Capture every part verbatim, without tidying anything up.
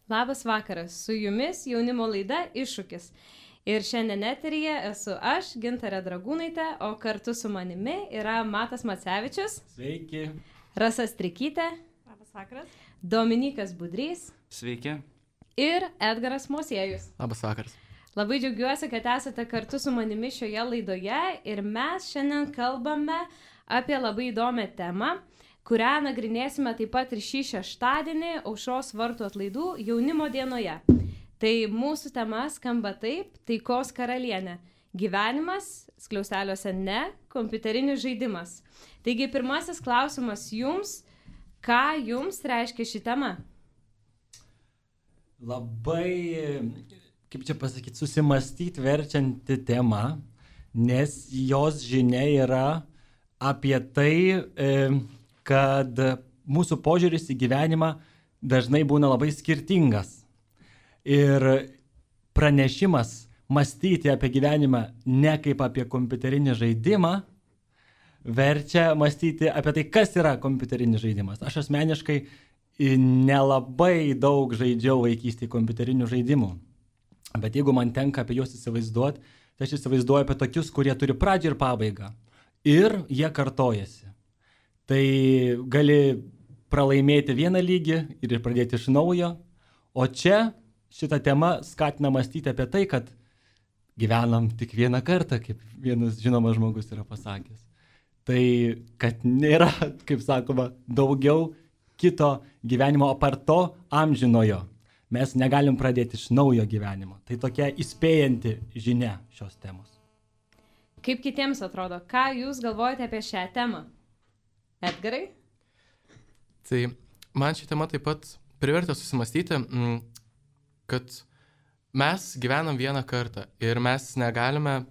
Labas vakaras, su jumis jaunimo laida Iššūkis. Ir šiandien eteryje esu aš, Gintarė Dragūnaitė, o kartu su manimi yra Matas Macevičius. Sveiki. Rasa Strikytė. Labas vakaras. Dominykas Budrys. Sveiki. Ir Edgaras Mosiejus. Labas vakaras. Labai džiaugiuosi, kad esate kartu su manimi šioje laidoje ir mes šiandien kalbame apie labai įdomią temą, kurią nagrinėsime taip pat ir šį šeštadienį Aušros vartų atlaidų jaunimo dienoje. Tai mūsų tema skamba taip: taikos karalienė. Gyvenimas, skliausteliuose ne, kompiuterinis žaidimas. Taigi pirmasis klausimas jums: ką jums reiškia ši tema? Labai, kaip čia pasakyti, susimastyti verčianti tema, nes jos žinia yra apie tai, kad mūsų požiūris į gyvenimą dažnai būna labai skirtingas. Ir pranešimas mąstyti apie gyvenimą ne kaip apie kompiuterinį žaidimą, verčia mąstyti apie tai, kas yra kompiuterinis žaidimas. Aš asmeniškai nelabai daug žaidžiau vaikystėje kompiuterinių žaidimų, bet jeigu man tenka apie juos įsivaizduoti, tai aš įsivaizduoju apie tokius, kurie turi pradžią ir pabaigą ir jie kartojasi. Tai gali pralaimėti vieną lygį ir pradėti iš naujo, o čia šita tema skatina mąstyti apie tai, kad gyvenam tik vieną kartą, kaip vienas žinomas žmogus yra pasakęs. Tai kad nėra, kaip sakoma, daugiau kito gyvenimo apart to amžinojo. Mes negalim pradėti iš naujo gyvenimo. Tai tokia įspėjanti žinia šios temos. Kaip kitiems atrodo? Ką jūs galvojate apie šią temą? Edgarai? Tai man ši tema taip pat privertė susimastyti, kad mes gyvenam vieną kartą ir mes negalime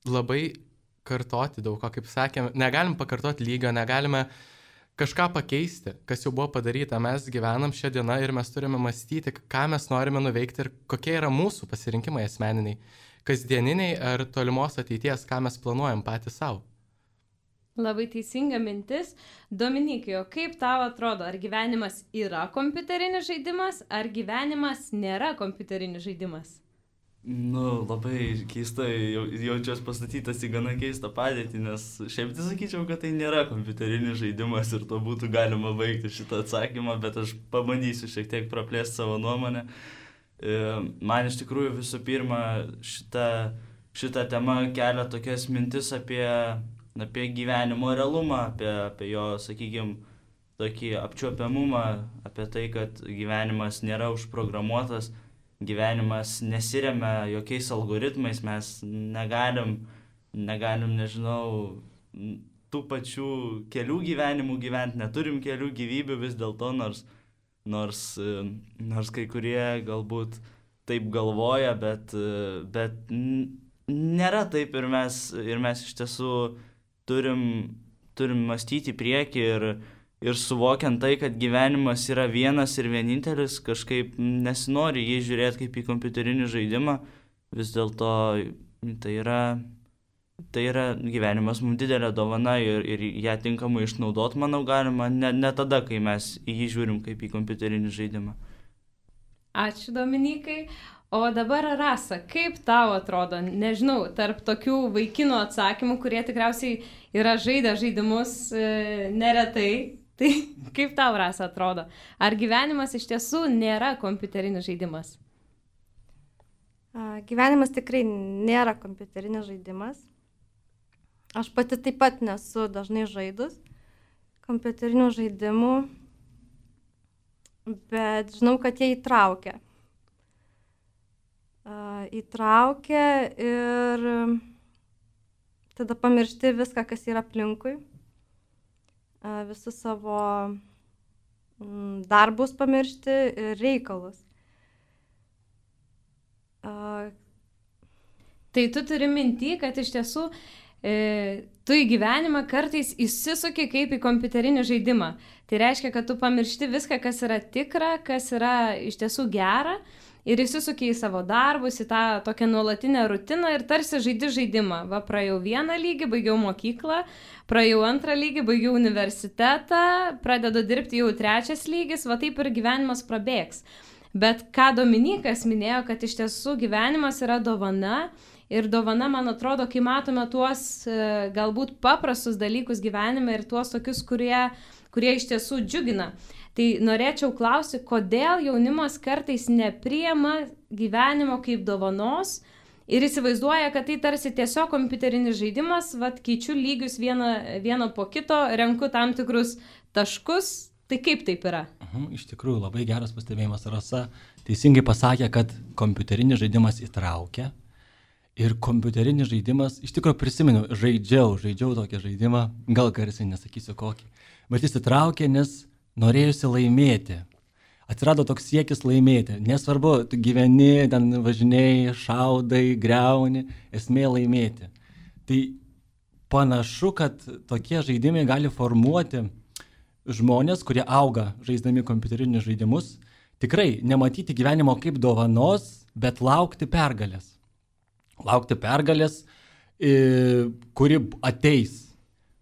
labai kartoti daug ko, kaip sakėme, negalim pakartoti lygio, negalime kažką pakeisti, kas jau buvo padaryta. Mes gyvenam šią dieną ir mes turime mąstyti, ką mes norime nuveikti ir kokie yra mūsų pasirinkimai asmeniniai, kasdieniniai ar tolimos ateities, ką mes planuojam patys savo. Labai teisinga mintis. Dominikai, o kaip tau atrodo, ar gyvenimas yra kompiuterinis žaidimas, ar gyvenimas nėra kompiuterinis žaidimas? Nu, labai keistai, jaučiuosi pastatytas į gana keistą padėtį, nes šiaip tai sakyčiau, kad tai nėra kompiuterinis žaidimas ir to būtų galima baigti šitą atsakymą, bet aš pabandysiu šiek tiek praplėsti savo nuomonę. Man iš tikrųjų visų pirma šita, šita tema kelia tokias mintis apie apie gyvenimo realumą, apie, apie jo, sakykime, tokį apčiuopiamumą, apie tai, kad gyvenimas nėra užprogramuotas, gyvenimas nesiremia jokiais algoritmais, mes negalim, negalim, nežinau, tų pačių kelių gyvenimų gyventi, neturim kelių gyvybių vis dėlto, nors, nors, nors kai kurie galbūt taip galvoja, bet, bet nėra taip ir mes, ir mes iš tiesų Turim, turim mąstyti į priekį ir, ir suvokiant tai, kad gyvenimas yra vienas ir vienintelis, kažkaip nesinori jį žiūrėti kaip į kompiuterinį žaidimą. Vis dėlto tai yra, tai yra gyvenimas mums didelė dovana ir, ir ją tinkamai išnaudoti, manau, galima ne, ne tada, kai mes į jį žiūrim kaip į kompiuterinį žaidimą. Ačiū, Dominikai. O dabar, Rasa, kaip tau atrodo, nežinau, tarp tokių vaikinų atsakymų, kurie tikriausiai yra žaidę žaidimus e, neretai, tai kaip tau, Rasa, atrodo? Ar gyvenimas iš tiesų nėra kompiuterinis žaidimas? A, gyvenimas tikrai nėra kompiuterinis žaidimas. Aš pati taip pat nesu dažnai žaidus kompiuterinių žaidimų, bet žinau, kad jie įtraukia. Uh, įtraukia ir tada pamiršti viską, kas yra aplinkui, uh, visus savo mm, darbus pamiršti ir reikalus. Uh, tai tu turi minty, kad iš tiesų e, tu į gyvenimą kartais įsisuki kaip į kompiuterinį žaidimą. Tai reiškia, kad tu pamiršti viską, kas yra tikra, kas yra iš tiesų gera, ir įsisuki į savo darbus, į tą tokią nuolatinę rutiną ir tarsi žaidi žaidimą. Va, praėjau vieną lygį, baigiau mokyklą, praėjau antrą lygį, baigiau universitetą, pradedu dirbti jau trečias lygis, va taip ir gyvenimas prabėgs. Bet ką Dominykas minėjo, kad iš tiesų gyvenimas yra dovana ir dovana, man atrodo, kai matome tuos galbūt paprastus dalykus gyvenime ir tuos tokius, kurie, kurie iš tiesų džiugina. Tai norėčiau klausyti, kodėl jaunimas kartais nepriima gyvenimo kaip dovanos ir įsivaizduoja, kad tai tarsi tiesiog kompiuterinis žaidimas, vat keičiu lygius vieną, vieną po kito, renku tam tikrus taškus. Tai kaip taip yra? Mhm, iš tikrųjų, labai geras pastebėjimas. Rasa teisingai pasakė, kad kompiuterinis žaidimas įtraukia. Ir kompiuterinis žaidimas, iš tikrųjų prisimenu, žaidžiau, žaidžiau tokį žaidimą, gal garsiai nesakysiu kokį. Bet jis įtraukė, nes norėjusi laimėti. Atsirado toks siekis laimėti. Nesvarbu, tu gyveni, ten važinėjai, šaudai, greuni, esmė laimėti. Tai panašu, kad tokie žaidimai gali formuoti žmonės, kurie auga žaisdami kompiuterinius žaidimus, tikrai nematyti gyvenimo kaip dovanos, bet laukti pergalės. Laukti pergalės, kuri ateis.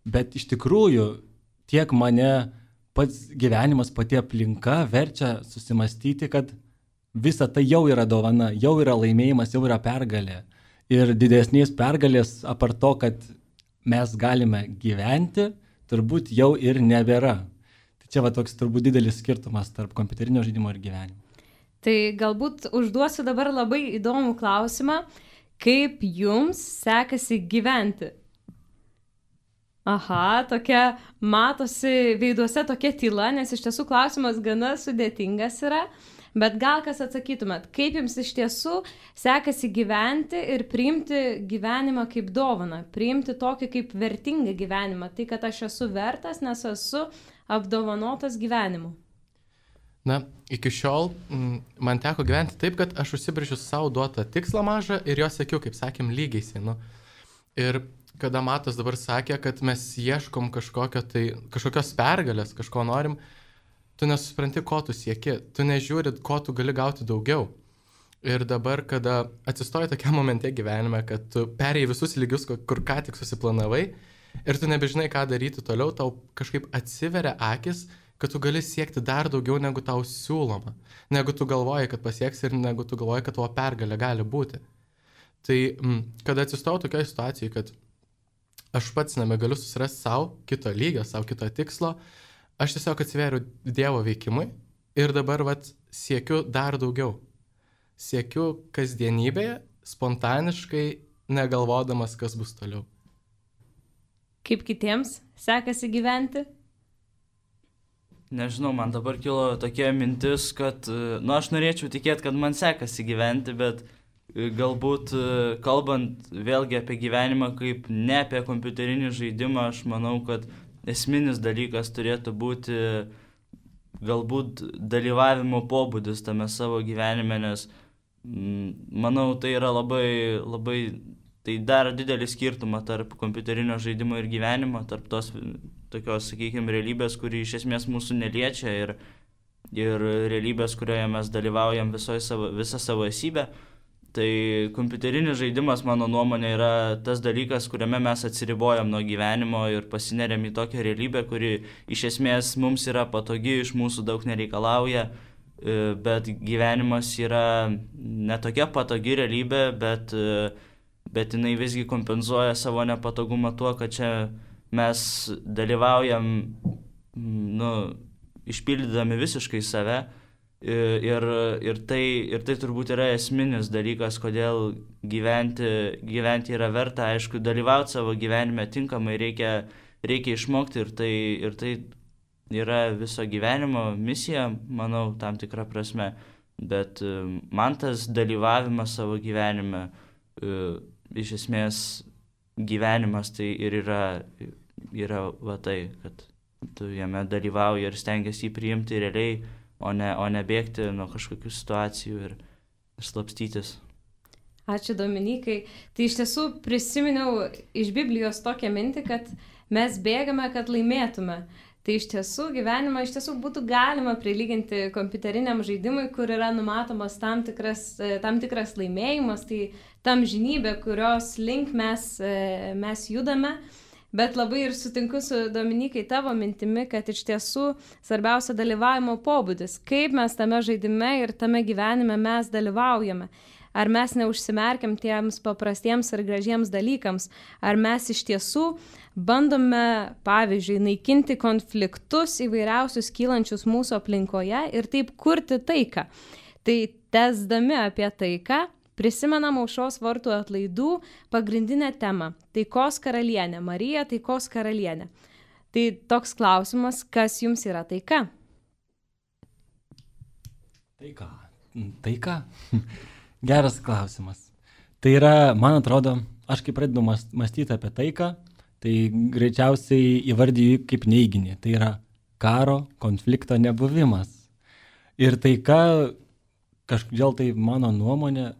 Bet iš tikrųjų tiek mane pats gyvenimas, pati aplinka verčia susimastyti, kad visa tai jau yra dovana, jau yra laimėjimas, jau yra pergalė. Ir didesnės pergalės, apart to, kad mes galime gyventi, turbūt jau ir nebėra. Tai čia va toks turbūt didelis skirtumas tarp kompiuterinio žaidimo ir gyvenimo. Tai galbūt užduosiu dabar labai įdomų klausimą, kaip jums sekasi gyventi? Aha, tokia matosi veiduose tokia tyla, nes iš tiesų klausimas gana sudėtingas yra, bet gal kas atsakytumėt, kaip jums iš tiesų sekasi gyventi ir priimti gyvenimą kaip dovaną, priimti tokį kaip vertingą gyvenimą, tai kad aš esu vertas, nes esu apdovanotas gyvenimu. Na, iki šiol m, man teko gyventi taip, kad aš užsibrėžiu savo duotą tikslą mažą ir jo siekiu, kaip sakėm, lygiai sienu. Ir kada Matas dabar sakė, kad mes ieškom kažkokio tai, kažkokios pergalės, kažko norim, tu nesupranti, ko tu sieki, tu nežiūri, ko tu gali gauti daugiau. Ir dabar, kada atsistoji tokiam momente gyvenime, kad tu perėjai visus lygius, kur ką tik susiplanavai, ir tu nebežinai, ką daryti toliau, tau kažkaip atsiveria akis, kad tu gali siekti dar daugiau, negu tau siūloma, negu tu galvoji, kad pasieksi ir negu tu galvoji, kad tavo pergalė gali būti. Tai, kada atsistojau tokioje situacijoje, kad aš pats nebegaliu susirasti savo kito lygio, savo kito tikslo, aš tiesiog atsiveriu Dievo veikimui ir dabar vat siekiu dar daugiau. Siekiu kasdienybėje, spontaniškai, negalvodamas, kas bus toliau. Kaip kitiems sekasi gyventi? Nežinau, man dabar kilo tokia mintis, kad, nu, aš norėčiau tikėti, kad man sekasi gyventi, bet galbūt kalbant vėlgi apie gyvenimą kaip ne apie kompiuterinį žaidimą, aš manau, kad esminis dalykas turėtų būti galbūt dalyvavimo pobūdis tame savo gyvenime, nes manau, tai yra labai, labai, tai daro didelį skirtumą tarp kompiuterinio žaidimo ir gyvenimo, tarp tos tokios, sakykime, realybės, kuri iš esmės mūsų neliečia ir, ir realybės, kurioje mes dalyvaujam savo, visą savo esybę. Tai kompiuterinis žaidimas, mano nuomonė, yra tas dalykas, kuriame mes atsiribojam nuo gyvenimo ir pasineriam į tokią realybę, kuri iš esmės mums yra patogi, iš mūsų daug nereikalauja, bet gyvenimas yra ne tokia patogi realybė, bet, bet jinai visgi kompensuoja savo nepatogumą tuo, kad čia mes dalyvaujam, nu, išpildydami visiškai save. Ir, ir, tai, ir tai turbūt yra esminis dalykas, kodėl gyventi, gyventi yra verta. Aišku, dalyvauti savo gyvenime tinkamai reikia, reikia išmokti ir tai, ir tai yra viso gyvenimo misija, manau, tam tikra prasme. Bet man tas dalyvavimas savo gyvenime, iš esmės gyvenimas tai ir yra, yra va tai, kad tu jame dalyvauji ir stengiasi jį priimti realiai, O ne, o ne bėgti nuo kažkokių situacijų ir slapstytis. Ačiū, Dominikai. Tai iš tiesų prisiminiau iš Biblijos tokią mintį, kad mes bėgame, kad laimėtume. Tai iš tiesų gyvenimą iš tiesų būtų galima prilyginti kompiuteriniam žaidimui, kur yra numatomas tam tikras, tam tikras laimėjimas, tai tam žinybė, kurios link mes, mes judame. Bet labai ir sutinku su Dominikai tavo mintimi, kad iš tiesų svarbiausia dalyvavimo pobūdis. Kaip mes tame žaidime ir tame gyvenime mes dalyvaujame. Ar mes neužsimerkiam tiems paprastiems ir gražiems dalykams. Ar mes iš tiesų bandome, pavyzdžiui, naikinti konfliktus įvairiausius kylančius mūsų aplinkoje ir taip kurti taiką. Tai tęsdami apie taiką, prisimenam Aušros vartų atlaidų pagrindinę temą – taikos karalienė, Marija taikos karalienė. Tai toks klausimas, kas jums yra taika? Taika. Taika? Geras klausimas. Tai yra, man atrodo, aš kai pradedu mąstyti apie taiką, tai greičiausiai įvardyju kaip neiginį. Tai yra karo, konflikto nebuvimas. Ir taika, kažkodėl tai mano nuomonė,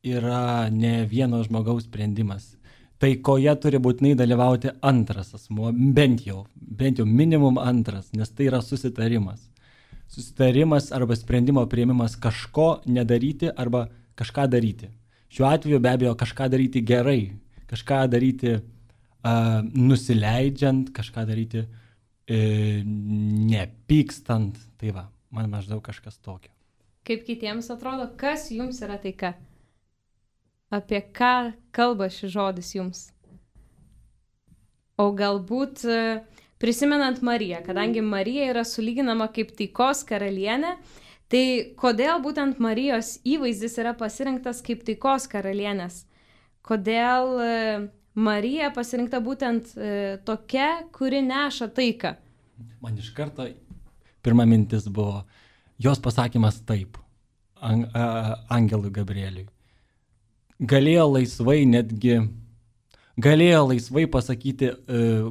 yra ne vieno žmogaus sprendimas. Taikoje turi būtinai dalyvauti antras asmuo, bent jau, bent jau minimum antras, nes tai yra susitarimas. Susitarimas arba sprendimo priėmimas kažko nedaryti arba kažką daryti. Šiuo atveju be abejo kažką daryti gerai, kažką daryti uh, nusileidžiant, kažką daryti uh, nepykstant. Tai va, man maždaug kažkas tokio. Kaip kitiems atrodo, kas jums yra taika? Apie ką kalba šis žodis jums? O galbūt prisimenant Mariją, kadangi Marija yra sulyginama kaip taikos karalienė, tai kodėl būtent Marijos įvaizdis yra pasirinktas kaip taikos karalienės? Kodėl Marija pasirinkta būtent tokia, kuri neša taiką? Man iš karto pirma mintis buvo, jos pasakymas taip, ang, a, angelui Gabrieliui. Galėjo laisvai netgi, galėjo laisvai pasakyti,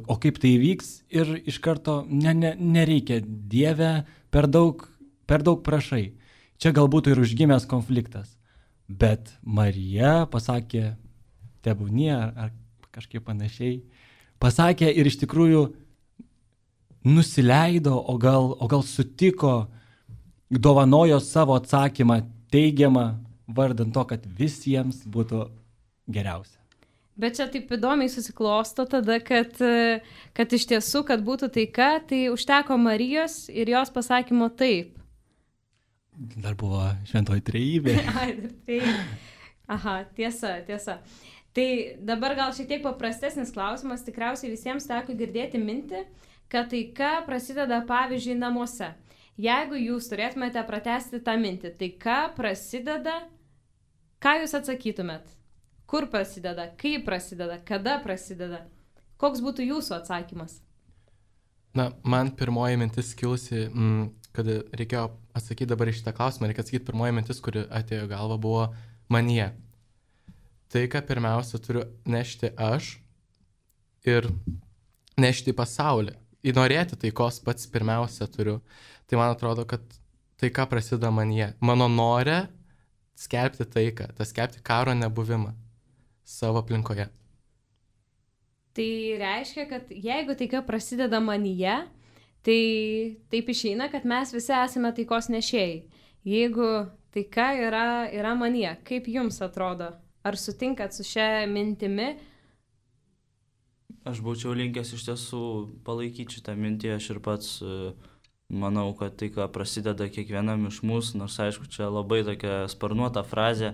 o kaip tai vyks ir iš karto ne, ne, nereikia, Dieve, per daug, per daug prašai. Čia galbūt ir užgimęs konfliktas. Bet Marija pasakė, tebūnie ar, ar kažkaip panašiai, pasakė ir iš tikrųjų nusileido, o gal, o gal sutiko, dovanojo savo atsakymą teigiamą, vardant to, kad visiems būtų geriausia. Bet čia taip įdomiai susiklosto tada, kad, kad iš tiesų, kad būtų taika, tai užteko Marijos ir jos pasakymo taip. Dar buvo šventoji trejybė. Ai, dar trejybė. Aha, tiesa, tiesa. Tai dabar gal šiek tiek paprastesnis klausimas, tikriausiai visiems teko girdėti mintį, kad taika prasideda pavyzdžiui namuose. Jeigu jūs turėtumėte pratęsti tą mintį, tai ką prasideda, ką jūs atsakytumėt? Kur prasideda, kaip prasideda, kada prasideda? Koks būtų jūsų atsakymas? Na, man pirmoji mintis kilusi, mm, kad reikėjo atsakyti dabar į šitą klausimą, reikia atsakyti pirmoji mintis, kuri atėjo galva, buvo manyje. Tai, ką pirmiausia turiu nešti aš ir nešti į pasaulį. Įnorėti taikos pats pirmiausia turiu. Tai man atrodo, kad taika prasideda manyje. Mano norė skelbti taiką, tas skelbti karo nebuvimą savo aplinkoje. Tai reiškia, kad jeigu taika prasideda manyje, tai taip išeina, kad mes visi esame taikos nešėjai. Jeigu taika yra, yra manyje, kaip jums atrodo? Ar sutinkat su šia mintimi? Aš būčiau linkęs iš tiesų palaikyti šitą mintį, aš ir pats uh, manau, kad tai, ką prasideda kiekvienam iš mūsų, nors aišku, čia labai tokia sparnuota frazė,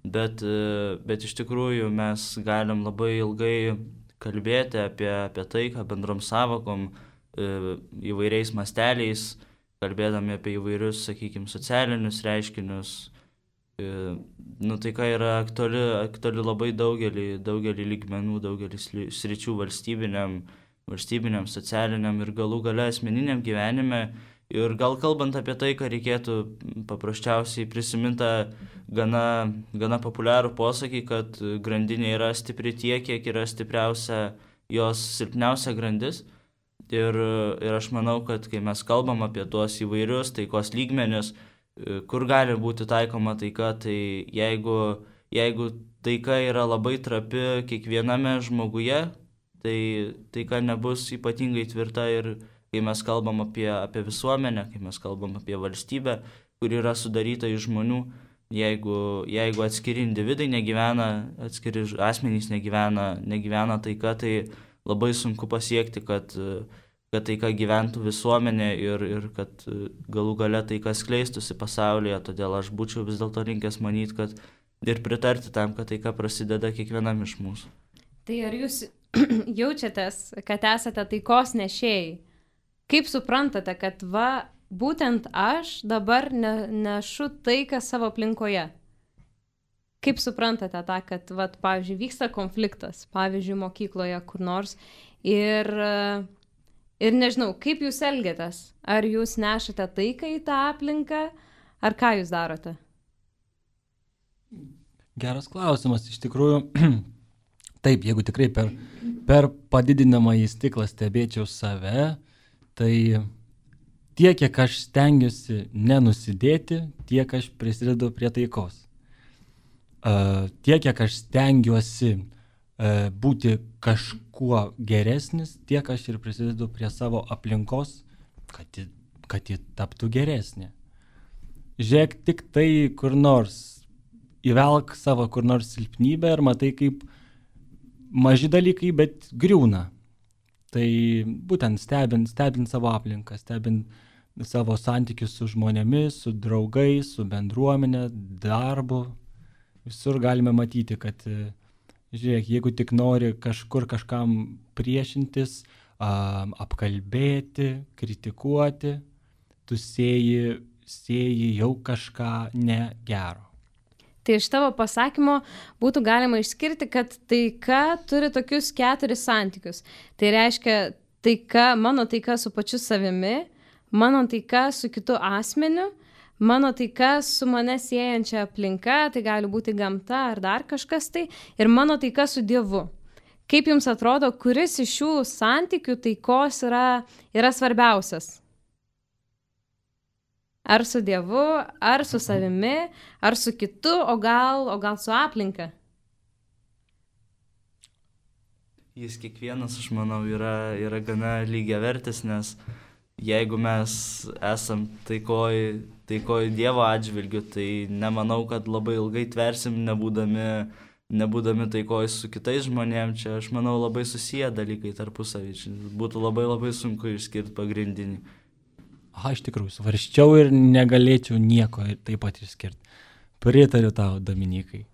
bet, uh, bet iš tikrųjų mes galim labai ilgai kalbėti apie, apie tai, ką bendrom savokom, uh, įvairiais masteliais, kalbėdami apie įvairius, sakykime, socialinius reiškinius. Uh, nu, tai, ką yra aktuali, aktuali labai daugelį, daugelį lygmenų, daugelį sričių valstybiniam, valstybiniam, socialiniam ir galų gale asmeniniam gyvenime. Ir gal kalbant apie tai, ką reikėtų paprasčiausiai prisiminti gana, gana populiarų posakį, kad grandinė yra stipri tiek, kiek yra stipriausia jos silpniausia grandis. Ir, ir aš manau, kad kai mes kalbam apie tuos įvairius taikos lygmenis, kur gali būti taikoma taika, tai jeigu, jeigu taika yra labai trapi kiekviename žmoguje, tai taika nebus ypatingai tvirta ir kai mes kalbam apie, apie visuomenę, kai mes kalbam apie valstybę, kur yra sudaryta iš žmonių, jeigu, jeigu atskiri individai negyvena, atskiri asmenys negyvena, negyvena taika, tai labai sunku pasiekti, kad, kad taika gyventų visuomenė ir, ir kad galų gale taika skleistųsi pasaulyje, todėl aš būčiau vis dėlto linkęs manyti, kad ir pritarti tam, kad taika prasideda kiekvienam iš mūsų. Tai ar jūs jaučiatės, kad esate taikos nešėjai? Kaip suprantate, kad va, būtent aš dabar ne, nešu taiką savo aplinkoje? Kaip suprantate tą, kad, va, pavyzdžiui, vyksta konfliktas, pavyzdžiui, mokykloje kur nors ir, ir nežinau, kaip jūs elgiatės? Ar jūs nešate taiką į tą aplinką, ar ką jūs darote? Geras klausimas, iš tikrųjų. Taip, jeigu tikrai per, per padidinamą į stiklą stebėčiau save, tai tiek, kiek aš stengiuosi nenusidėti, tiek aš prisidedu prie taikos. Uh, tiek, kiek aš stengiuosi uh, būti kažkuo geresnis, tiek aš ir prisidedu prie savo aplinkos, kad ji, kad ji taptų geresnė. Žiūrėk tik tai kur nors, įvelk savo kur nors silpnybę ir matai, kaip maži dalykai, bet griūna. Tai būtent stebint, stebint savo aplinką, stebint savo santykius su žmonėmis, su draugais, su bendruomenė, darbu. Visur galime matyti, kad, žiūrėk, jeigu tik nori kažkur kažkam priešintis, apkalbėti, kritikuoti, tu sėji, sėji jau kažką negero. Tai iš tavo pasakymo būtų galima išskirti, kad taika turi tokius keturis santykius. Tai reiškia taika, mano taika su pačiu savimi, mano taika su kitu asmeniu, mano taika su mane siejančia aplinka, tai gali būti gamta ar dar kažkas tai, ir mano taika su Dievu. Kaip jums atrodo, kuris iš šių santykių taikos yra, yra svarbiausias? Ar su Dievu, ar su savimi, ar su kitu, o gal, o gal su aplinka? Jis kiekvienas, aš manau, yra, yra gana lygiavertis, nes jeigu mes esam taikoj, taikoj Dievo atžvilgiu, tai nemanau, kad labai ilgai tversim, nebūdami, nebūdami taikoj su kitais žmonėm. Čia, aš manau, labai susiję dalykai tarpusavy. Būtų labai labai sunku išskirti pagrindinį. Aha, iš tikrųjų, svarščiau ir negalėčiau nieko taip pat išskirti. Pritariu tau, Dominikai.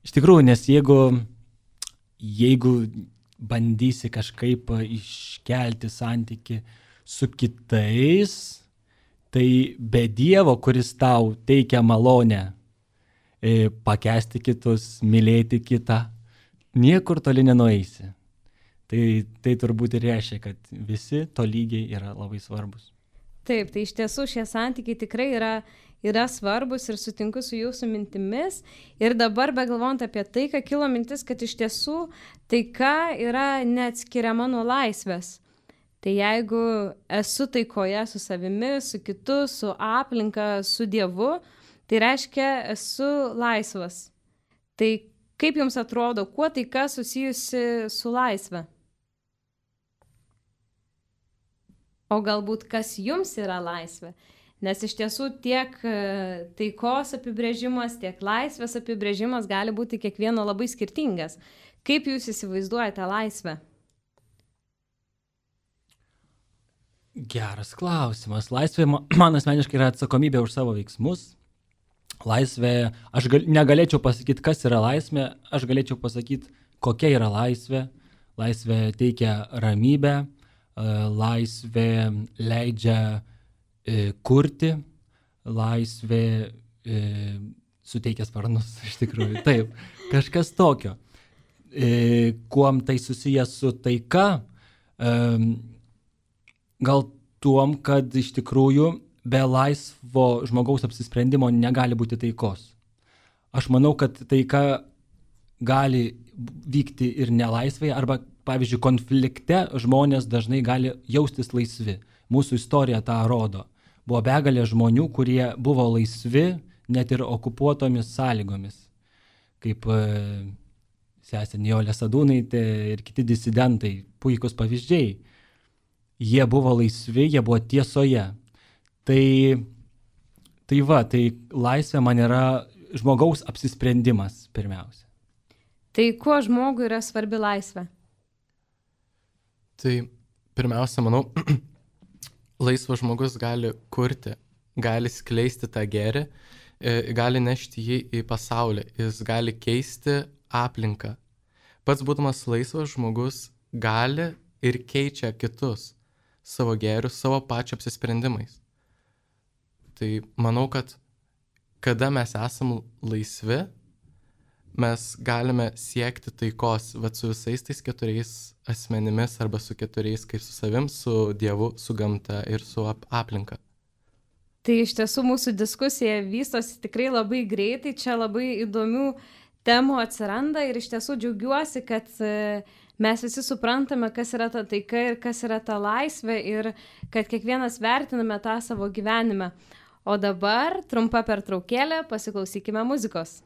Iš tikrųjų, nes jeigu, jeigu bandysi kažkaip iškelti santykį su kitais, tai be Dievo, kuris tau teikia malonę pakęsti kitus, mylėti kitą, niekur toli nenueisi. Tai, tai turbūt ir reiškia, kad visi tolygiai yra labai svarbus. Taip, tai iš tiesų šie santykiai tikrai yra, yra svarbus ir sutinku su jūsų mintimis. Ir dabar, begalvojant apie taiką, kilo mintis, kad iš tiesų taika yra neatskiriama nuo laisvės. Tai jeigu esu taikoje su savimi, su kitu, su aplinka, su Dievu, tai reiškia esu laisvas. Tai kaip jums atrodo, kuo taika susijusi su laisve? O galbūt kas jums yra laisvė? Nes iš tiesų tiek taikos apibrėžimas, tiek laisvės apibrėžimas gali būti kiekvieno labai skirtingas. Kaip jūs įsivaizduojate laisvę? Geras klausimas. Laisvė man asmeniškai yra atsakomybė už savo veiksmus. Laisvė, aš gal, negalėčiau pasakyti, kas yra laisvė, aš galėčiau pasakyti, kokia yra laisvė. Laisvė teikia ramybę. Laisvė leidžia e, kurti, laisvė e, suteikia sparnus, iš tikrųjų. Taip, kažkas tokio. E, kuom tai susijęs su taika? E, gal tuom, kad iš tikrųjų be laisvo žmogaus apsisprendimo negali būti taikos. Aš manau, kad taika gali vykti ir nelaisvėje, arba pavyzdžiui, konflikte žmonės dažnai gali jaustis laisvi. Mūsų istorija tą rodo. Buvo begalė žmonių, kurie buvo laisvi net ir okupuotomis sąlygomis. Kaip e, sesė Nijolė Sadūnaitė ir kiti disidentai, puikus pavyzdžiai. Jie buvo laisvi, jie buvo tiesoje. Tai, tai va, tai laisvė man yra žmogaus apsisprendimas pirmiausia. Tai kuo žmogui yra svarbi laisvė? Tai pirmiausia, manau, laisvas žmogus gali kurti, gali skleisti tą gėrį, gali nešti jį į pasaulį, jis gali keisti aplinką. Pats būdamas laisvas žmogus gali ir keičia kitus savo gėrius, savo pačio apsisprendimais. Tai manau, kad kada mes esam laisvi, mes galime siekti taikos, vat su visais tais keturiais asmenimis arba su keturiais kaip su savim, su Dievu, su gamta ir su ap aplinka. Tai iš tiesų mūsų diskusija vystosi tikrai labai greitai, čia labai įdomių temų atsiranda ir iš tiesų džiaugiuosi, kad mes visi suprantame, kas yra ta taika ir kas yra ta laisvė ir kad kiekvienas vertiname tą savo gyvenime. O dabar trumpa pertraukėlė, pasiklausykime muzikos.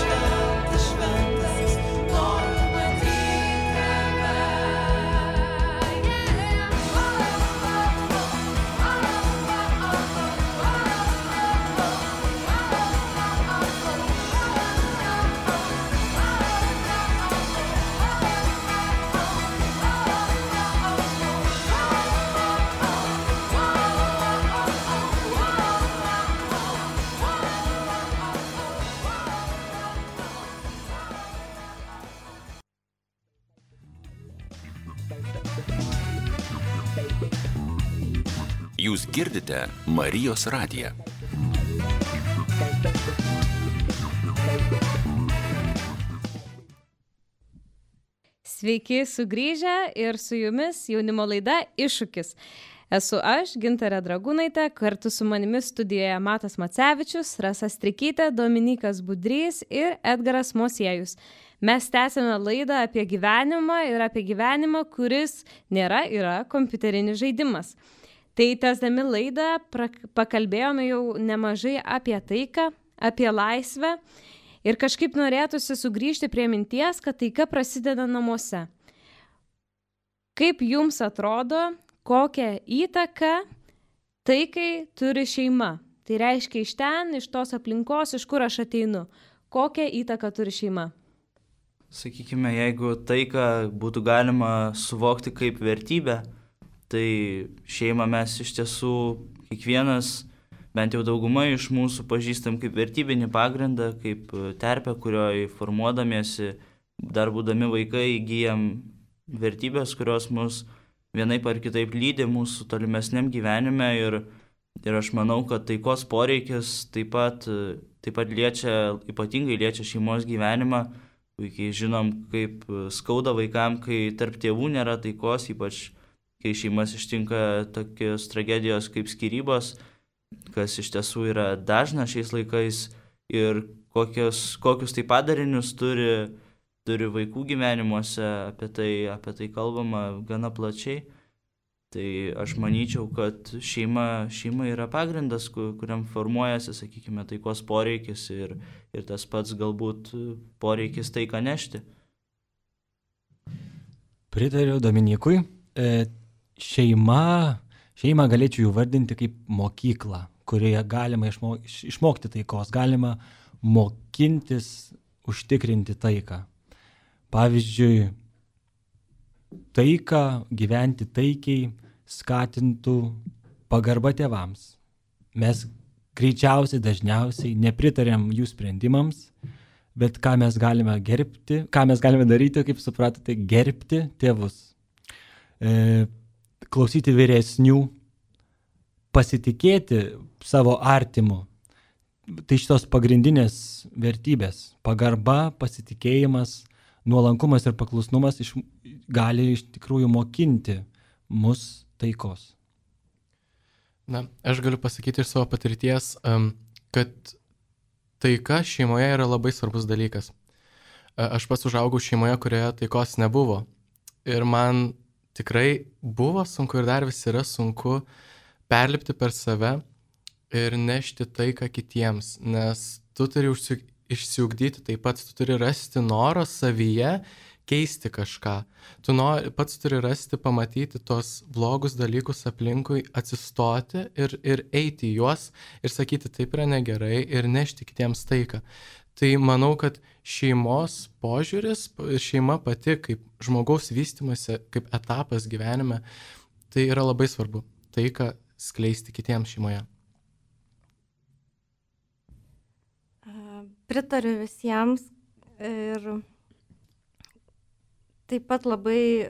Shut Jūs girdite Marijos radiją. Sveiki sugrįžę ir su jumis jaunimo laida Iššūkis. Esu aš, Gintarė Dragūnaitė, kartu su manimi studijoje Matas Macevičius, Rasa Strikytė, Dominikas Budrys ir Edgaras Mosiejus. Mes tęsime laidą apie gyvenimą ir apie gyvenimą, kuris nėra, yra kompiuterinis žaidimas. Tai tęsdami laidą pakalbėjome jau nemažai apie taiką, apie laisvę. Ir kažkaip norėtųsi sugrįžti prie minties, kad taika prasideda namuose. Kaip jums atrodo, kokią įtaką taikai turi šeima? Tai reiškia iš ten, iš tos aplinkos, iš kur aš ateinu. Kokią įtaką turi šeima? Sakykime, jeigu taiką būtų galima suvokti kaip vertybę, tai šeimą mes iš tiesų kiekvienas, bent jau dauguma iš mūsų pažįstam kaip vertybinį pagrindą, kaip terpę, kurioje formuodamiesi, dar būdami vaikai, įgyjam vertybės, kurios mus vienaip ar kitaip lydi mūsų tolimesniam gyvenime. Ir, ir aš manau, kad taikos poreikis taip pat, taip pat liečia, ypatingai liečia šeimos gyvenimą. Puikiai žinom, kaip skauda vaikam, kai tarp tėvų nėra taikos, ypač kai šeimas ištinka tokios tragedijos kaip skyrybos, kas iš tiesų yra dažna šiais laikais ir kokius, kokius tai padarinius turi, turi vaikų gyvenimuose, apie tai, apie tai kalbama gana plačiai. Tai aš manyčiau, kad šeima, šeima yra pagrindas, kuriam formuojasi, sakykime, taikos poreikis ir, ir tas pats galbūt poreikis taiką nešti. Pritariu Dominikui. E, šeima... Šeimą galėčiau jų vardinti kaip mokyklą, kurioje galima išmok, išmokti taikos, galima mokintis užtikrinti taiką. Pavyzdžiui, taiką, gyventi taikiai skatintų pagarba tėvams. Mes greičiausiai, dažniausiai nepritarėm jų sprendimams, bet ką mes galime gerbti, ką mes galime daryti, kaip supratote, gerbti tėvus. E, klausyti vyresnių, pasitikėti savo artimu. Tai šitos pagrindinės vertybės – pagarba, pasitikėjimas, nuolankumas ir paklusnumas iš, gali iš tikrųjų mokinti mus taikos. Na, aš galiu pasakyti iš savo patirties, kad taika šeimoje yra labai svarbus dalykas. Aš pats užaugau šeimoje, kurioje taikos nebuvo. Ir man tikrai buvo sunku ir dar vis yra sunku perlipti per save ir nešti taiką kitiems, nes tu turi išsiugdyti taip pat, tu turi rasti norą savyje keisti kažką. Tu nori, pats turi rasti, pamatyti tos blogus dalykus aplinkui, atsistoti ir, ir eiti į juos ir sakyti, taip yra negerai ir nešti kitiems taiką. Tai manau, kad šeimos požiūris, šeima pati kaip žmogaus vystymasi, kaip etapas gyvenime, tai yra labai svarbu. Taiką skleisti kitiems šeimoje. Pritariu visiems ir taip pat labai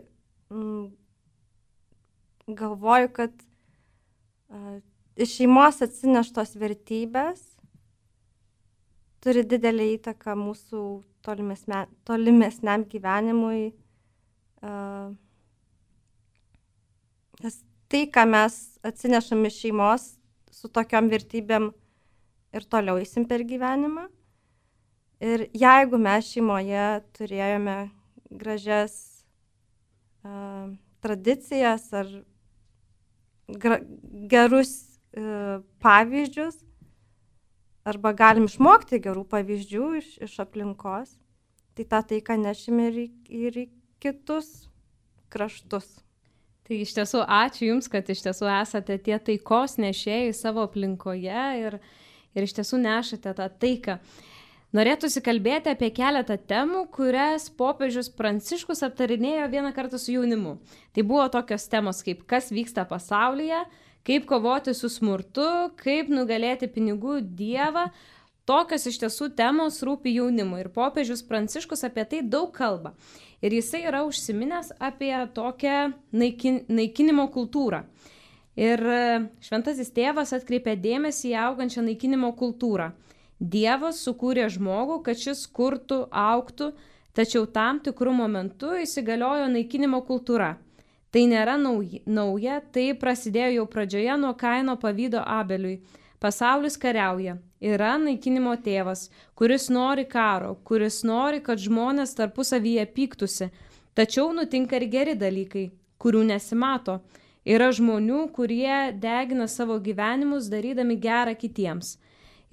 mm, galvoju, kad uh, iš šeimos atsineštos vertybės turi didelį įtaką mūsų tolimesne, tolimesniam gyvenimui. Uh, nes tai, ką mes atsinešam iš šeimos, su tokiom vertybėm ir toliau eisim per gyvenimą. Ir jeigu mes šeimoje turėjome gražias uh, tradicijas ar gra, gerus uh, pavyzdžius, arba galim išmokti gerų pavyzdžių iš, iš aplinkos, tai tą taiką nešime ir, ir į kitus kraštus. Tai iš tiesų ačiū Jums, kad iš tiesų esate tie taikos nešėjai savo aplinkoje ir, ir iš tiesų nešate tą taiką. Norėtųsi kalbėti apie keletą temų, kurias popiežius Pranciškus aptarinėjo vieną kartą su jaunimu. Tai buvo tokios temos kaip kas vyksta pasaulyje, kaip kovoti su smurtu, kaip nugalėti pinigų dievą. Tokios iš tiesų temos rūpi jaunimui ir popiežius Pranciškus apie tai daug kalba. Ir jisai yra užsiminęs apie tokią naikin, naikinimo kultūrą. Ir šventasis tėvas atkreipė dėmesį į augančią naikinimo kultūrą. Dievas sukūrė žmogų, kad šis kurtų, augtų, tačiau tam tikrų momentų įsigaliojo naikinimo kultūra. Tai nėra nauja, tai prasidėjo jau pradžioje nuo Kaino pavydo Abeliui. Pasaulis kariauja. Yra naikinimo tėvas, kuris nori karo, kuris nori, kad žmonės tarpusavyje pyktųsi. Tačiau nutinka ir geri dalykai, kurių nesimato. Yra žmonių, kurie degina savo gyvenimus, darydami gerą kitiems.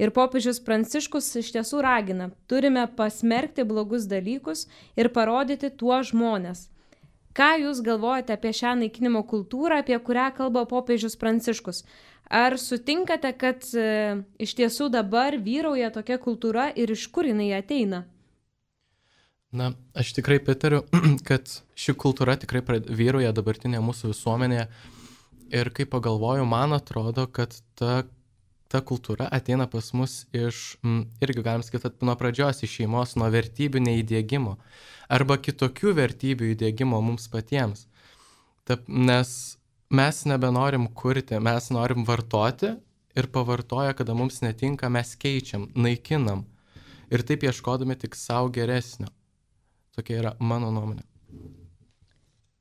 Ir popiežius Pranciškus iš tiesų ragina, turime pasmerkti blogus dalykus ir parodyti tuos žmonės. Ką jūs galvojate apie šią naikinimo kultūrą, apie kurią kalba popiežius Pranciškus? Ar sutinkate, kad e, iš tiesų dabar vyrauja tokia kultūra ir iš kur jinai ateina? Na, aš tikrai pritariu, kad ši kultūra tikrai vyrauja dabartinėje mūsų visuomenėje. Ir kai pagalvoju, man atrodo, kad ta, ta kultūra ateina pas mus iš, m, irgi galim sakyti, nuo pradžios iš šeimos, nuo vertybių neįdiegimo arba kitokių vertybių įdiegimo mums patiems. Taip, nes mes nebenorim kurti, mes norim vartoti ir pavartoję, kada mums netinka, mes keičiam, naikinam ir taip ieškodami tik savo geresnio. Tokia yra mano nuomonė.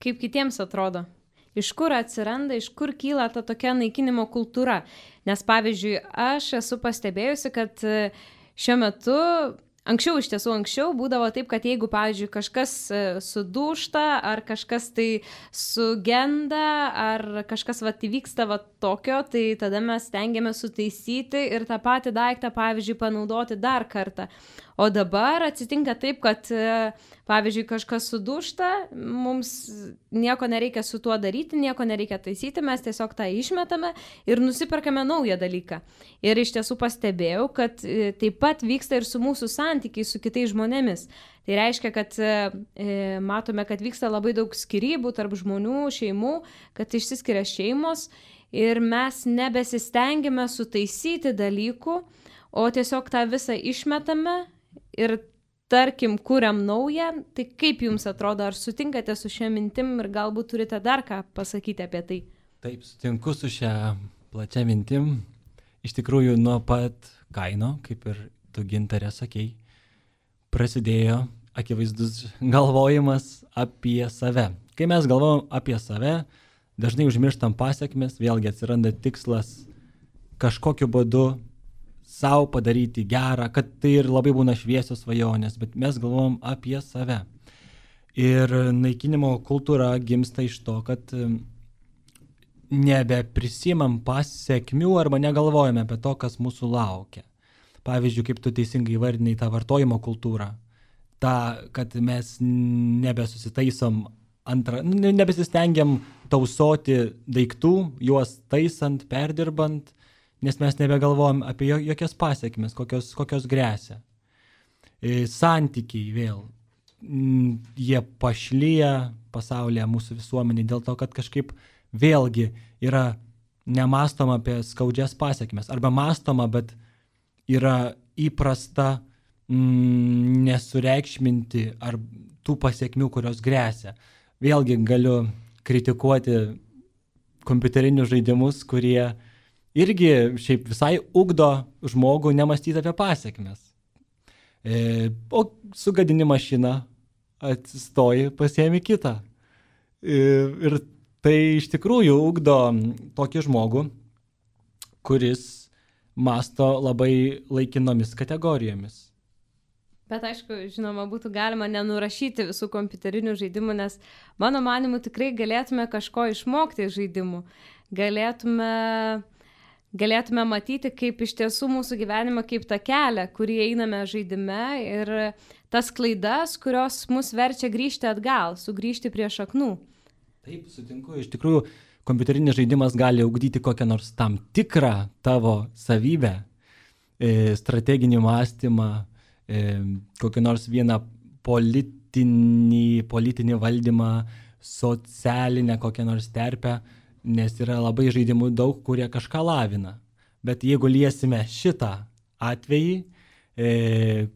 Kaip kitiems atrodo? Iš kur atsiranda, iš kur kyla ta tokia naikinimo kultūra? Nes pavyzdžiui, aš esu pastebėjusi, kad šiuo metu, anksčiau iš tiesų anksčiau būdavo taip, kad jeigu, pavyzdžiui, kažkas sudūžta, ar kažkas tai sugenda, ar kažkas vat įvyksta vat tokio, tai tada mes stengiamės sutaisyti ir tą patį daiktą, pavyzdžiui, panaudoti dar kartą. O dabar atsitinka taip, kad, pavyzdžiui, kažkas sudūžta, mums nieko nereikia su tuo daryti, nieko nereikia taisyti, mes tiesiog tą išmetame ir nusiperkame naują dalyką. Ir iš tiesų pastebėjau, kad taip pat vyksta ir su mūsų santykiai su kitais žmonėmis. Tai reiškia, kad e, matome, kad vyksta labai daug skyrybų tarp žmonių, šeimų, kad išsiskiria šeimos ir mes nebesistengime sutaisyti dalykų, o tiesiog tą visą išmetame ir, tarkim, kuriam naują. Tai kaip jums atrodo, ar sutinkate su šia mintim ir galbūt turite dar ką pasakyti apie tai? Taip, sutinku su šia plačia mintim. Iš tikrųjų, nuo pat Kaino, kaip ir tu, Gintarė, sakei, prasidėjo akivaizdus galvojimas apie save. Kai mes galvojam apie save, dažnai užmirštam pasiekmes, vėlgi atsiranda tikslas kažkokiu būdu savo padaryti gerą, kad tai ir labai būna šviesios svajonės, bet mes galvojam apie save. Ir naikinimo kultūra gimsta iš to, kad nebeprisimam pasiekmių arba negalvojame apie to, kas mūsų laukia. Pavyzdžiui, kaip tu teisingai įvardinai tą vartojimo kultūrą, tą, kad mes nebesusitaisom antrą, nebesistengiam tausoti daiktų, juos taisant, perdirbant, nes mes nebegalvojam apie jokias pasiekmes, kokios, kokios gresia. E, santykiai vėl, m, jie pašlyja pasaulyje mūsų visuomenį dėl to, kad kažkaip vėlgi yra nemąstoma apie skaudžias pasiekmes, arba mąstoma, bet yra įprasta mm, nesureikšminti ar tų pasiekmių, kurios gresia. Vėlgi galiu kritikuoti kompiuterinius žaidimus, kurie irgi šiaip visai ugdo žmogų nemąstyti apie pasiekmes. E, o sugadini mašiną, atsistoji, pasiemi kitą. E, ir tai iš tikrųjų ugdo tokį žmogų, kuris mąsto labai laikinomis kategorijomis. Bet aišku, žinoma, būtų galima nenurašyti visų kompiuterinių žaidimų, nes mano manimu tikrai galėtume kažko išmokti iš žaidimų. Galėtume, galėtume matyti, kaip iš tiesų mūsų gyvenimą, kaip tą kelią, kurį einame žaidime ir tas klaidas, kurios mus verčia grįžti atgal, sugrįžti prie šaknų. Taip, sutinku. Iš tikrųjų, kompiuterinis žaidimas gali ugdyti kokią nors tam tikrą tavo savybę, strateginį mąstymą, kokį nors vieną politinį, politinį valdymą, socialinę kokią nors terpę, nes yra labai žaidimų daug, kurie kažką lavina. Bet jeigu liesime šitą atvejį, e,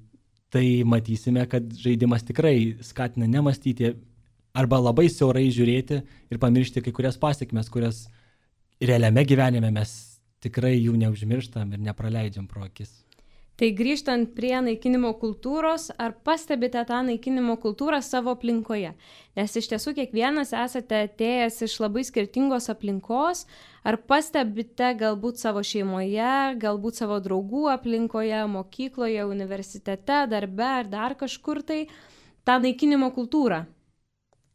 tai matysime, kad žaidimas tikrai skatina nemąstyti arba labai siaurai žiūrėti ir pamiršti kai kurias pasiekmes, kurias realiame gyvenime mes tikrai jų neužmirštam ir nepraleidžiam pro akis. Tai grįžtant prie naikinimo kultūros, ar pastebite tą naikinimo kultūrą savo aplinkoje? Nes iš tiesų kiekvienas esate atėjęs iš labai skirtingos aplinkos, ar pastebite galbūt savo šeimoje, galbūt savo draugų aplinkoje, mokykloje, universitete, darbe ar dar kažkur tai tą naikinimo kultūrą?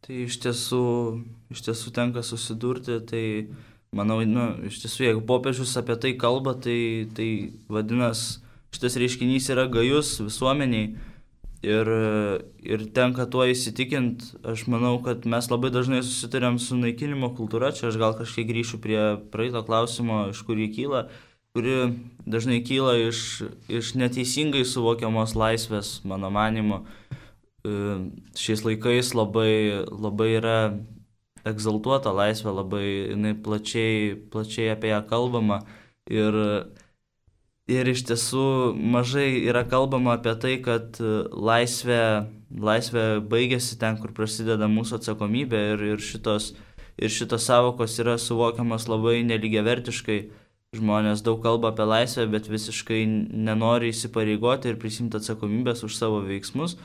Tai iš tiesų, iš tiesų tenka susidurti, tai manau, nu, iš tiesų, jeigu popiežius apie tai kalba, tai, tai vadinasi, šitas reiškinys yra gajus visuomeniai ir, ir tenka tuo įsitikint. Aš manau, kad mes labai dažnai susitarėm su naikinimo kultūra. Čia aš gal kažkiek grįšiu prie praeito klausimo, iš kur jį kyla, kuri dažnai kyla iš, iš neteisingai suvokiamos laisvės, mano manimu. Šiais laikais labai, labai yra egzaltuota laisvė, labai jinai plačiai, plačiai apie ją kalbama ir Ir iš tiesų mažai yra kalbama apie tai, kad laisvė, laisvė baigėsi ten, kur prasideda mūsų atsakomybė ir, ir, šitos, ir šitos savokos yra suvokiamas labai nelygiavertiškai. Žmonės daug kalba apie laisvę, bet visiškai nenori įsipareigoti ir prisimti atsakomybės už savo veiksmus.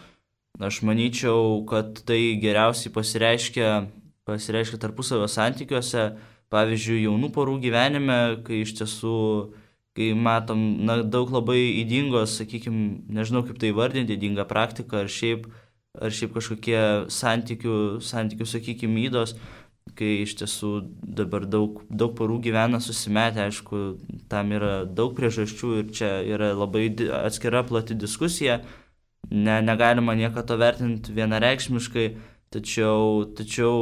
Aš manyčiau, kad tai geriausiai pasireiškia, pasireiškia tarpusavio santykiuose, pavyzdžiui, jaunų porų gyvenime, kai iš tiesų kai matom na, daug labai įdingos, sakykime, nežinau kaip tai vardinti, įdinga praktika ar šiaip, ar šiaip kažkokie santykių, santykių sakykime, įdos, kai iš tiesų dabar daug, daug porų gyvena susimetę, aišku, tam yra daug priežasčių ir čia yra labai atskira plati diskusija, ne, negalima nieko to vertinti vienareikšmiškai, tačiau, tačiau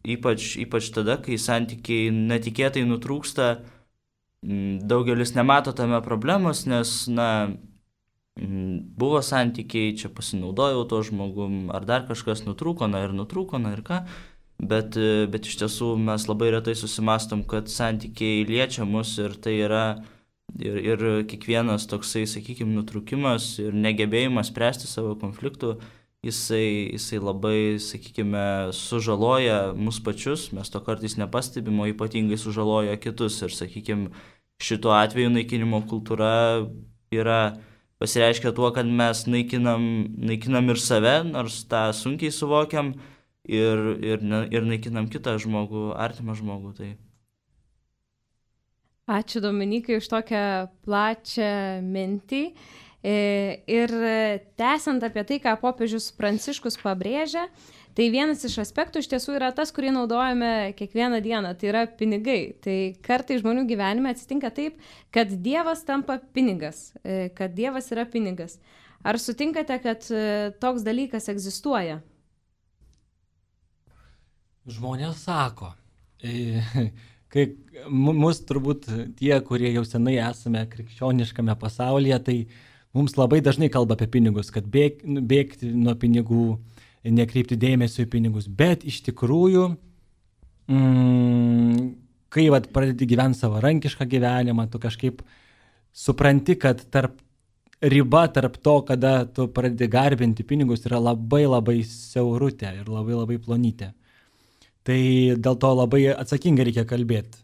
ypač, ypač tada, kai santykiai netikėtai nutrūksta, daugelis nemato tame problemos, nes, na, buvo santykiai, čia pasinaudojau to žmogum, ar dar kažkas nutrūko, na ir nutrūko, na ir ką, bet, bet iš tiesų mes labai retai susimastom, kad santykiai liečia mus ir tai yra ir, ir kiekvienas toksai, sakykime, nutrūkimas ir negebėjimas spręsti savo konfliktų, jisai, jisai labai, sakykime, sužaloja mus pačius, mes to kartais nepastebim, o ypatingai sužaloja kitus ir, sakykime, šituo atveju naikinimo kultūra yra pasireiškia tuo, kad mes naikinam, naikinam ir save, nors tą sunkiai suvokiam ir, ir, ir naikinam kitą žmogų, artimą žmogų. Tai. Ačiū Dominikai už tokią plačią mintį. Ir tęsiant apie tai, ką popiežius Pranciškus pabrėžia, tai vienas iš aspektų iš tiesų yra tas, kurį naudojame kiekvieną dieną, tai yra pinigai. Tai kartai žmonių gyvenime atsitinka taip, kad Dievas tampa pinigas, kad Dievas yra pinigas. Ar sutinkate, kad toks dalykas egzistuoja? Žmonės sako, kai mus turbūt tie, kurie jau senai esame krikščioniškame pasaulyje, tai mums labai dažnai kalba apie pinigus, kad bėg, bėgti nuo pinigų, nekreipti dėmesio į pinigus. Bet iš tikrųjų, mm, kai vat, pradedi gyventi savarankišką gyvenimą, tu kažkaip supranti, kad tarp, riba tarp to, kada tu pradedi garbinti pinigus, yra labai labai siaurutė ir labai labai plonytė. Tai dėl to labai atsakingai reikia kalbėti.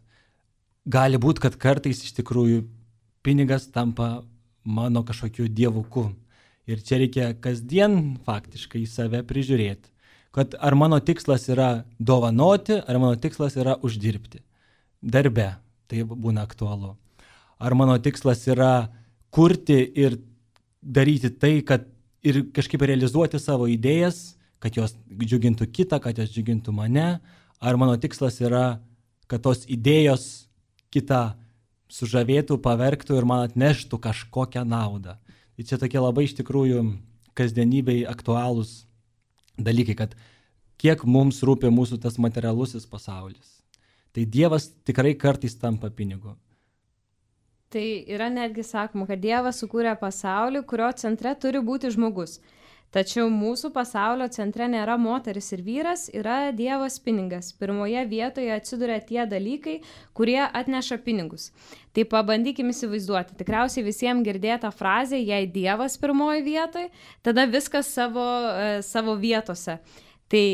Gali būti, kad kartais iš tikrųjų pinigas tampa mano kažkokiu dievuku. Ir čia reikia kasdien faktiškai save prižiūrėti. Kad ar mano tikslas yra dovanoti, ar mano tikslas yra uždirbti. Darbe tai būna aktualu. Ar mano tikslas yra kurti ir daryti tai, kad ir kažkaip realizuoti savo idėjas, kad jos džiugintų kitą, kad jos džiugintų mane. Ar mano tikslas yra, kad tos idėjos kitą sužavėtų, pavergtų ir man atneštų kažkokią naudą. Tai čia tokie labai iš tikrųjų kasdienybei aktualūs dalykai, kad kiek mums rūpi mūsų tas materialusis pasaulis. Tai Dievas tikrai kartais tampa pinigu. Tai yra netgi sakoma, kad Dievas sukūrė pasaulį, kurio centre turi būti žmogus. Tačiau mūsų pasaulio centre nėra moteris ir vyras, yra Dievas pinigas. Pirmoje vietoje atsiduria tie dalykai, kurie atneša pinigus. Tai pabandykim įsivaizduoti. Tikriausiai visiems girdėta frazė, jei Dievas pirmoje vietoje, tada viskas savo, savo vietose. Tai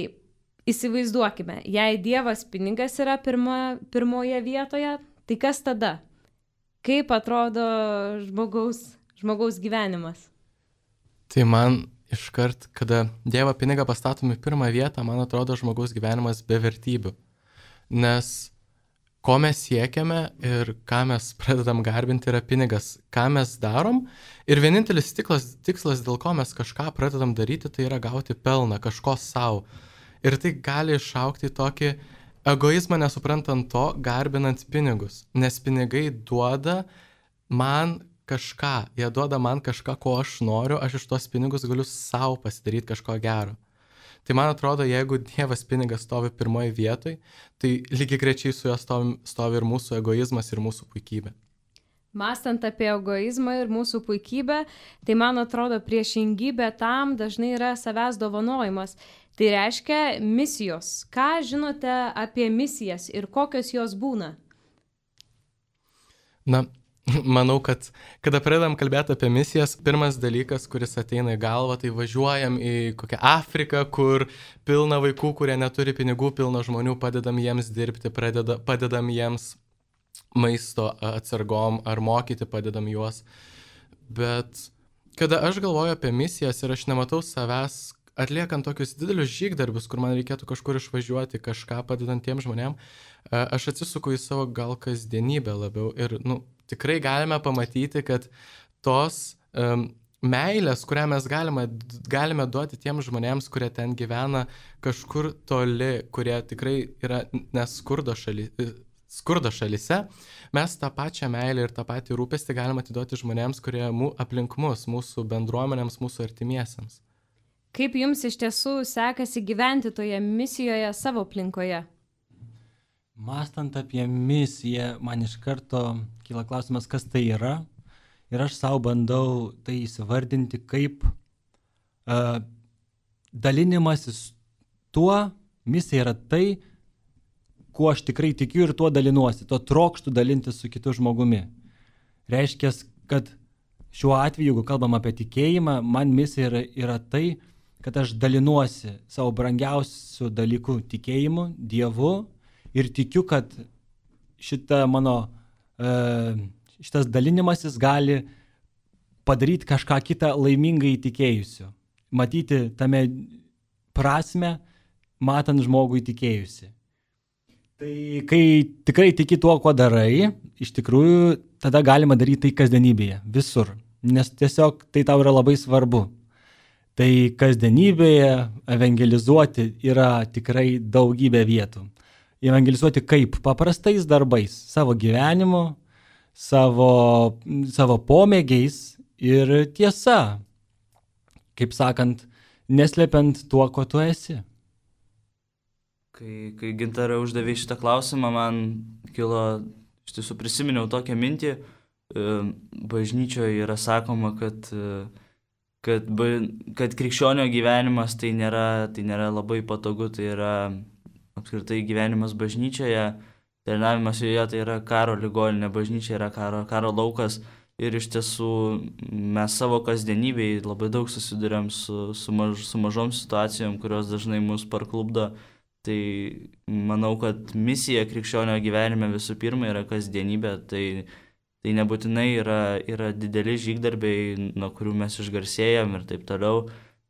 įsivaizduokime, jei Dievas pinigas yra pirma, pirmoje vietoje, tai kas tada? Kaip atrodo žmogaus, žmogaus gyvenimas? Tai man iškart, kada Dievo pinigą pastatom į pirmą vietą, man atrodo žmogaus gyvenimas be vertybių. Nes ko mes siekiame ir ką mes pradedam garbinti yra pinigas, ką mes darom. Ir vienintelis tikslas, tikslas dėl ko mes kažką pradedam daryti, tai yra gauti pelną, kažko savo. Ir tai gali išaukti tokį egoizmą nesuprantant to, garbinant pinigus. Nes pinigai duoda man kažką, jie duoda man kažką, ko aš noriu, aš iš tos pinigus galiu savo pasidaryti kažko gero. Tai man atrodo, jeigu Dievas pinigas stovi pirmoje vietoje, tai lygiai grečiai su juo stovi, stovi ir mūsų egoizmas, ir mūsų puikybė. Mąstant apie egoizmą ir mūsų puikybę, tai man atrodo priešingybė tam dažnai yra savęs dovanojimas. Tai reiškia misijos. Ką žinote apie misijas ir kokios jos būna? Na, manau, kad kada pradedam kalbėti apie misijas, pirmas dalykas, kuris ateina į galvą, tai važiuojam į kokią Afriką, kur pilna vaikų, kurie neturi pinigų, pilna žmonių, padedam jiems dirbti, pradeda, padedam jiems maisto atsargom ar mokyti, padedam juos. Bet kada aš galvoju apie misijas ir aš nematau savęs atliekant tokius didelius žygdarbius, kur man reikėtų kažkur išvažiuoti, kažką padedant tiem žmonėm, aš atsisuku į savo gal kasdienybę labiau ir, nu, tikrai galime pamatyti, kad tos um, meilės, kurią mes galime, galime duoti tiem žmonėms, kurie ten gyvena kažkur toli, kurie tikrai yra neskurdo šaly, skurdo šalyse, mes tą pačią meilę ir tą patį rūpestį galime atiduoti žmonėms, kurie mū, aplink mus, mūsų bendruomenėms, mūsų artimiesiems. Kaip jums iš tiesų sekasi gyventi toje misijoje savo aplinkoje? Mąstant apie misiją, man iš karto kyla klausimas, kas tai yra. Ir aš savo bandau tai įsivardinti kaip uh, dalinimasis tuo, misija yra tai, kuo aš tikrai tikiu ir tuo dalinuosi, tuo trokštų dalintis su kitu žmogumi. Reiškia, kad šiuo atveju, jeigu kalbam apie tikėjimą, man misija yra, yra tai, kad aš dalinuosi savo brangiausių dalykų tikėjimu, Dievu ir tikiu, kad šita mano, šitas dalinimasis gali padaryti kažką kitą laimingai įtikėjusiu. Matyti tame prasme, matant žmogų įtikėjusi. Tai kai tikrai tiki tuo, ko darai, iš tikrųjų tada galima daryti tai kasdienybėje, visur. Nes tiesiog tai tau yra labai svarbu. Tai kasdienybėje evangelizuoti yra tikrai daugybė vietų. Evangelizuoti kaip? Paprastais darbais, savo gyvenimu, savo, savo pomėgiais ir tiesa. Kaip sakant, neslepiant tuo, ko tu esi. Kai, kai Gintarė uždavė šitą klausimą, man kilo, iš tiesų prisiminiau tokią mintį, bažnyčioje yra sakoma, kad Kad, kad krikščionio gyvenimas tai nėra, tai nėra labai patogu, tai yra apskritai gyvenimas bažnyčioje, tarnavimas joje tai yra karo ligoninė, bažnyčia yra karo, karo laukas ir iš tiesų mes savo kasdienybėje labai daug susiduriam su, su, maž, su mažom situacijom, kurios dažnai mus parklubdo. Tai manau, kad misija krikščionio gyvenime visų pirma yra kasdienybė, tai Tai nebūtinai yra, yra dideli žygdarbiai, nuo kurių mes išgarsėjam ir taip toliau.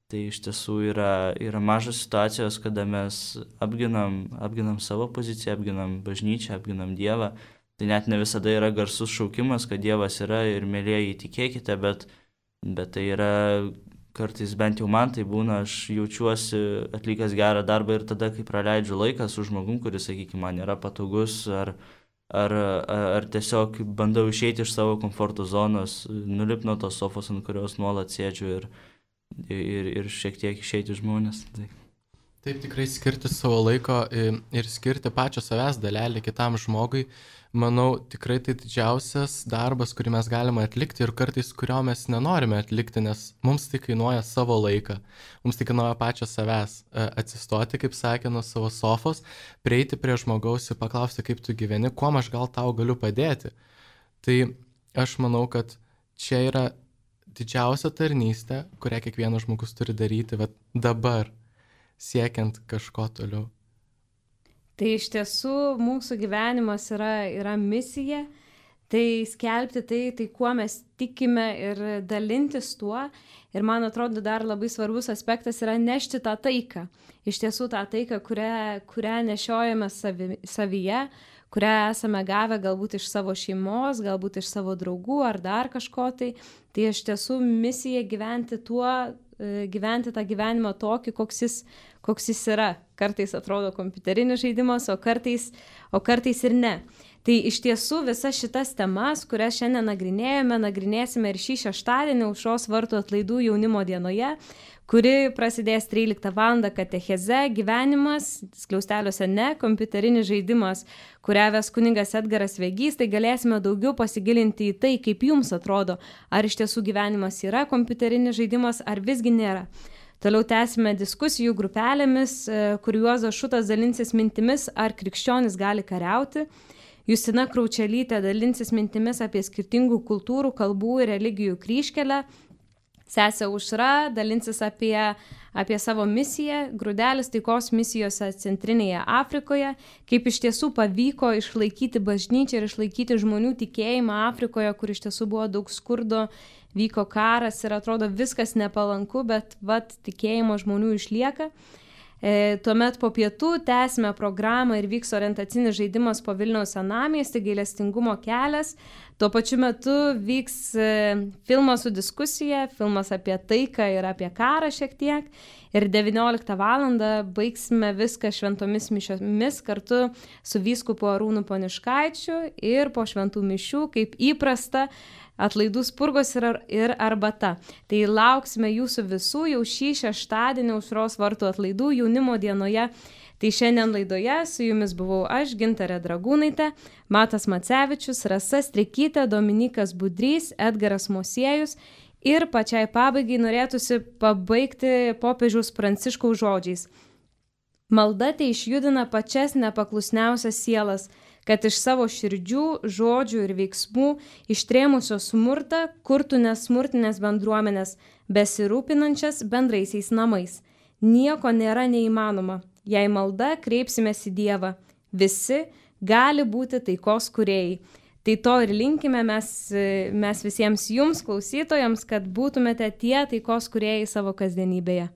Tai iš tiesų yra, yra mažos situacijos, kada mes apginam, apginam savo poziciją, apginam bažnyčią, apginam Dievą. Tai net ne visada yra garsus šaukimas, kad Dievas yra ir mėlėjai tikėkite, bet, bet tai yra kartais, bent jau man tai būna, aš jaučiuosi atlikęs gerą darbą ir tada, kai praleidžiu laiką su žmogum, kuris, sakykime, man yra patogus ar Ar, ar tiesiog bandau išeiti iš savo komforto zonos, nulipti nuo tos sofos, ant kurios nuolat sėdžiu ir, ir, ir šiek tiek išeiti žmonės. Tai. Taip, tikrai skirti savo laiko ir skirti pačio savęs dalelį kitam žmogui, manau, tikrai tai didžiausias darbas, kurį mes galime atlikti ir kartais kurio mes nenorime atlikti, nes mums tai kainuoja savo laiką, mums tai kainuoja pačio savęs atsistoti, kaip sakė, nuo savo sofos, prieiti prie žmogaus ir paklausti, kaip tu gyveni, kuo aš gal tau galiu padėti. Tai aš manau, kad čia yra didžiausia tarnystė, kurią kiekvienas žmogus turi daryti, bet dabar. siekiant kažko toliau. Tai iš tiesų mūsų gyvenimas yra, yra misija, tai skelbti tai, tai kuo mes tikime ir dalintis tuo. Ir man atrodo dar labai svarbus aspektas yra nešti tą taiką. Iš tiesų tą taiką, kurią, kurią nešiojame savi, savyje, kurią esame gavę galbūt iš savo šeimos, galbūt iš savo draugų ar dar kažko tai. Tai iš tiesų misija gyventi tuo, gyventi tą gyvenimą tokį, koks jis, koks jis yra. Kartais atrodo kompiuterinis žaidimas, o kartais, o kartais ir ne. Tai iš tiesų visas šitas temas, kurias šiandien nagrinėjame, nagrinėsime ir šį šeštadienį Aušros vartų atlaidų jaunimo dienoje, kuri prasidės tryliktą valandą katecheze gyvenimas, skliausteliuose ne, kompiuterinis žaidimas, kurią ves kunigas Edgaras Vegys, tai galėsime daugiau pasigilinti į tai, kaip jums atrodo, ar iš tiesų gyvenimas yra kompiuterinis žaidimas, ar visgi nėra. Toliau tęsime diskusijų grupelėmis, kur Juozas Šutas dalinsis mintimis, ar krikščionis gali kariauti. Justina Kraučelytė dalinsis mintimis apie skirtingų kultūrų, kalbų ir religijų kryžkelę. Sesė Aušra dalinsis apie, apie savo misiją, Grūdelis taikos misijose Centrinėje Afrikoje, kaip iš tiesų pavyko išlaikyti bažnyčią ir išlaikyti žmonių tikėjimą Afrikoje, kur iš tiesų buvo daug skurdo, vyko karas ir atrodo viskas nepalanku, bet vat tikėjimo žmonių išlieka. E, tuomet po pietų tęsime programą ir vyks orientacinis žaidimas po Vilniaus senamiestį, gailestingumo kelias. Tuo pačiu metu vyks e, filmas su diskusija, filmas apie taiką ir apie karą šiek tiek. Ir devynioliktą valandą baigsime viską šventomis mišiomis kartu su vyskupu Arūnu Poniškaičiu ir po šventų mišių, kaip įprasta, atlaidų spurgos ir, ir arbata. Tai lauksime jūsų visų jau šį šeštadienį Aušros vartų atlaidų jaunimo dienoje. Tai šiandien laidoje su jumis buvau aš, Gintarė Dragūnaitė, Matas Macevičius, Rasa Strikytė, Dominikas Budrys, Edgaras Mosiejus. Ir pačiai pabaigai norėtųsi pabaigti popiežiaus Pranciškaus žodžiais. Malda tai išjudina pačias nepaklusniausias sielas, kad iš savo širdžių, žodžių ir veiksmų ištrėmusios smurtą kurtų nesmurtinės bendruomenės, besirūpinančias bendraisiais namais. Nieko nėra neįmanoma, jei malda kreipsimės į Dievą. Visi gali būti taikos kūrėjai. Tai to ir linkime mes, mes visiems jums, klausytojams, kad būtumėte tie taikos kūrėjai savo kasdienybėje.